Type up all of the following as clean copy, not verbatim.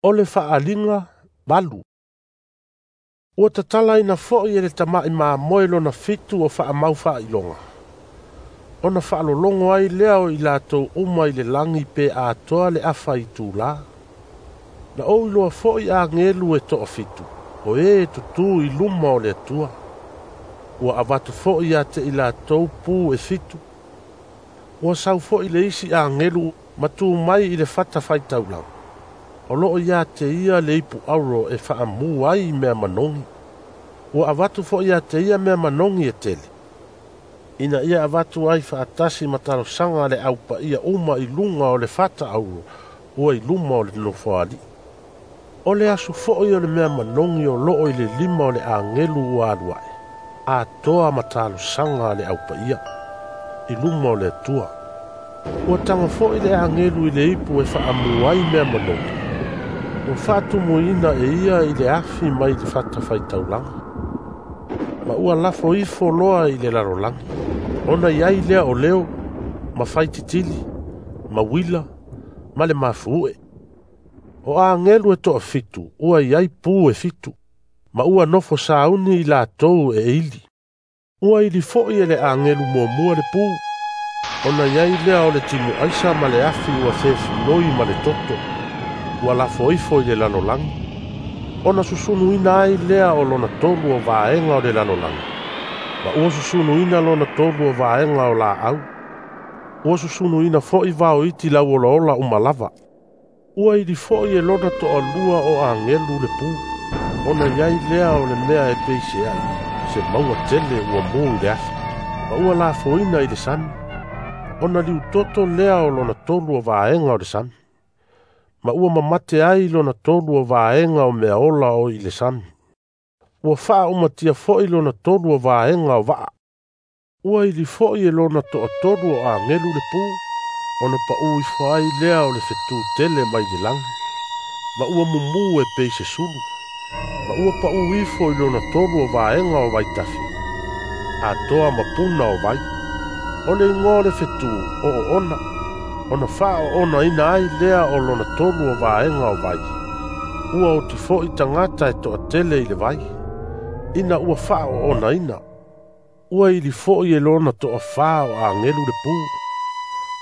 O le Faaaliga 8. Ua tatalaina foi e le Tama'i Mamoe lona fitu o faamau faailoga, ona faalologo ai lea o i latou uma i le lagi pe atoa le afa itulā. Na ou iloa foi agelu e toafitu, o e tutū i luma o le Atua. Ua avatu foi ia te i latou pu e fitu. Ua sau foi le isi agelu ma tu mai i le fatafaitaulaga. O loo ia te ia le ipu auro e faamu ai mea manogi. Ua avatu foi ia te ia mea manogi e tele, ina ia avatu ai faatasi ma talosaga le aupaia uma i luga o le fata auro ua i luma o le nofoalii. O le aso foi o le mea manogi o loo i le lima o le agelu ua alu ae, atoa ma talosaga le aupaia i luma o le Atua. Ua tago foi le agelu i le ipu e faamu ai mea manogi, ua faatumuina e ia i le afi mai le fatafaitaulaga, ma ua lafo ifo loa i le lalolagi. Ona i ai lea o leo, ma faititili, ma uila, ma le mafu'e. O agelu e toafitu ua i ai pu e fitu, ma ua nofo sauni i latou e ili. Ua ili foi e le agelu muamua le pu, ona i ai lea o le timuaisa ma le afi ua fefiloi ma le toto, ua lafo ifo i le lalolagi. Ona susunuina ai lea o lona tolu o vaega o le lalolagi, ma ua susunuina lona tolu o vaega o laau. Ua susunuina foi vao iti lauolaola uma lava. Ua ili foi e lona toalua o agelu le pu, ona i ai lea o le mea e peiseai, se mauga tele ua mu i le afi, ma ua lafoina i le sami. Ona liutoto lea o lona tolu o vaega o le sami, ma ua mamate ai lona tolu o vaega o mea ola o i le sami. Ua faaumatia foi lona tolu o vaega o vaa. Ua ili foi e lona toatolu o agelu le pu, ona pau ifo ai lea o le fetu tele mai le lagi, ma ua mumu e pei se sulu, ma ua pau ifo i lona tolu o vaega o vaitafe, atoa ma puna o vai. O le igoa o le fetu o oona, ona faaoonaina ai lea o lona tolu o vaega o vai. Ua oti foi tagata e toatele i le vai, ina ua faaoonaina. Ua ili foi e lona toafā o agelu le pu,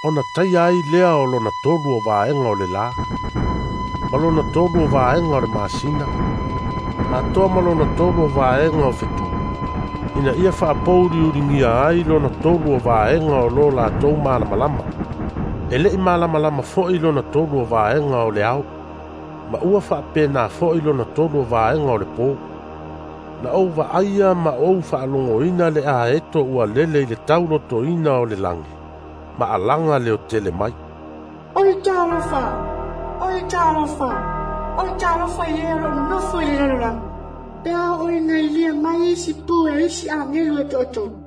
ona taia ai lea o lona tolu o vaega o le lā, ma lona tolu o vaega o le masina, atoa ma lona tolu o vaega o fetu, ina ia faapouliuligia ai lona tolu o vaega o lo latou malamalama. E le'i malamalama foi lona tolu o vaega o le ao, ma ua faapena foi lona tolu o vaega o le pō. Na ou vaaia ma ou faalogoina le aeto ua lele i le taulotoina o le lagi, ma alaga leo tele mai. O le talofa, o le talofa, o le talofa i le o loo nonofo i le lalolagi, pe a oo ina ilia mai isi pu e isi agelu e toatolu.